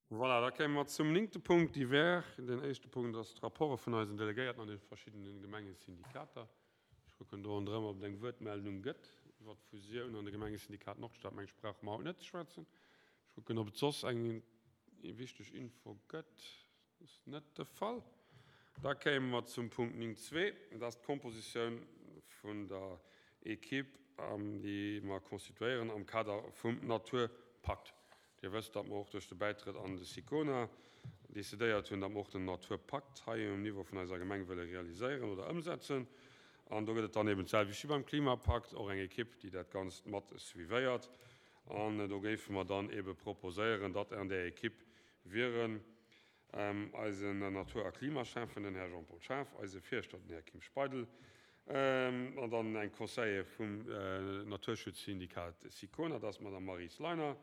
Voilà, da kéime mer zum néngte Punkt, Divers. Den éischte Punkt ass d'Rapporte vun eisen Delegéierten an de verschiddene Gemengesyndikater. Ech kucken do ronderëm, ob et eng Wuertmeldung gëtt iwwert d'Fusioun an de Gemengesyndikat Nordstad. Meng ech brauche mer haut net ze schwätzen. Ech kucken, ob et soss eng wichteg Info gëtt. Dat ass net de Fall. Da kéime mer zum Punkt 9.2, dat ass d'Kompositioun vun der Equipe, déi mer constituéieren am Kader vum Naturpakt. Dir wësst, datt mer och duerch de Bäitrëtt an de SICONA decidéiert hunn, datt mer och den Naturpakt hei um Niveau vun eiser Gemeng wëlle realiséieren oder ëmsetzen. An do gëtt et dann eben d'selwecht wéi beim Klimapakt och eng Equipe, déi dat Ganzt mat suivéiert. An do géife mer dann ebe proposéieren, datt an där Equipe wieren eisen Natur a Klimaschäffen, den Här Jean-Paul Schaaf, eise Fierschter, den Här Kim Speidel, an dann eng Conseillère vum Naturschutzsyndikat SICONA, dat ass d'Madame Maryse Leiner,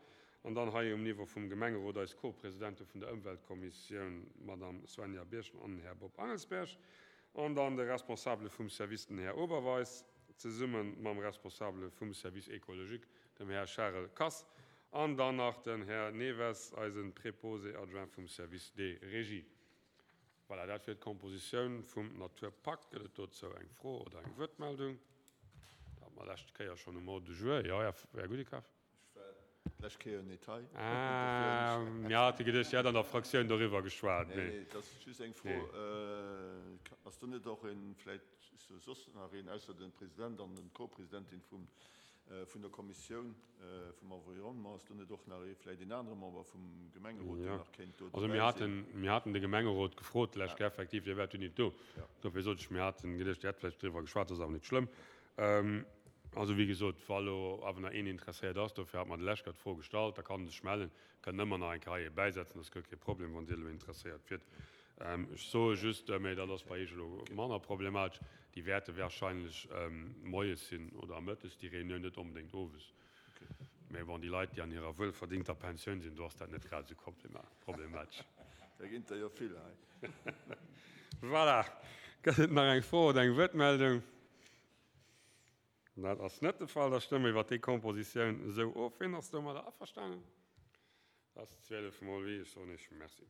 an dann hei um Niveau vum Gemengerot eis Co-Presidente vun der Ëmweltkommissioun, d'Madame Svenja Birchen an den Här Bob Angelsberg, an dann de Responsabele vum Service, den Här Oberweis, zesumme mam Responsabele vum Service écologique, dem Här Charel Kass, An dann nach den Här Neves, eisen Préposé adjoint vum Service des Régies. Voilà, dat wier d'Kompositioun vum Naturpakt. Gëtt et dozou eng Fro oder eng Wuertmeldung? Dat hate mer lescht Kéier schonn um Ordre du jour. Jo, Här Gudikaff. Ech war d'lescht Kéier net hei. Ah, mir hate geduecht, Dir hätt an der Fraktioun doriwwer geschwat. Nee, nee, et ass just eng Fro. Ass do net och een, vläicht soss nach een, ausser dem President an den Co-Presidentin vum Vun der Kommissioun vum Environnement, ass do net och nach ee, vläicht een anere Member vum Gemengerot, deen nach kéint do Also mir haten, mir haten de Gemengerot gefrot d'lescht Kéier, effektiv, Dir waart jo nit do, dofir sot ech, mir haten geduecht, Dir hätt vläicht driwwer geschwat, dat ass awer net schlëmm. Also wéi gesot, wa lo awer nach een interesséiert ass, dofir hat mer de lescht Kéier d'Fro gestallt, da kann en sech mellen, kënnt ëmmer nach eng Kéier hei ee bäisetzen, dat ass guer kee Problem, wann Dir elo interesséiert wiert. Ech soe just, mä dat ass bei Iech elo manner problematesch, déi wäerte wahrscheinlech moies sinn oder mëttes, déi Reunioun, net onbedéngt owes. Mä bon, déi Leit, déi an hirer wuelverdingter Pensioun sinn, do ass dat net grad esou problematesch. Da ginn der jo vill hei. Voilà. Gëtt et nach eng Fro oder eng Wuertmeldung? Dat ass net de Fall. Da stëmme mer iwwert déi Kompositioun esou of. Wien ass domadder averstanen? Dat ass 12 mol oui. Ech soen Iech Merci.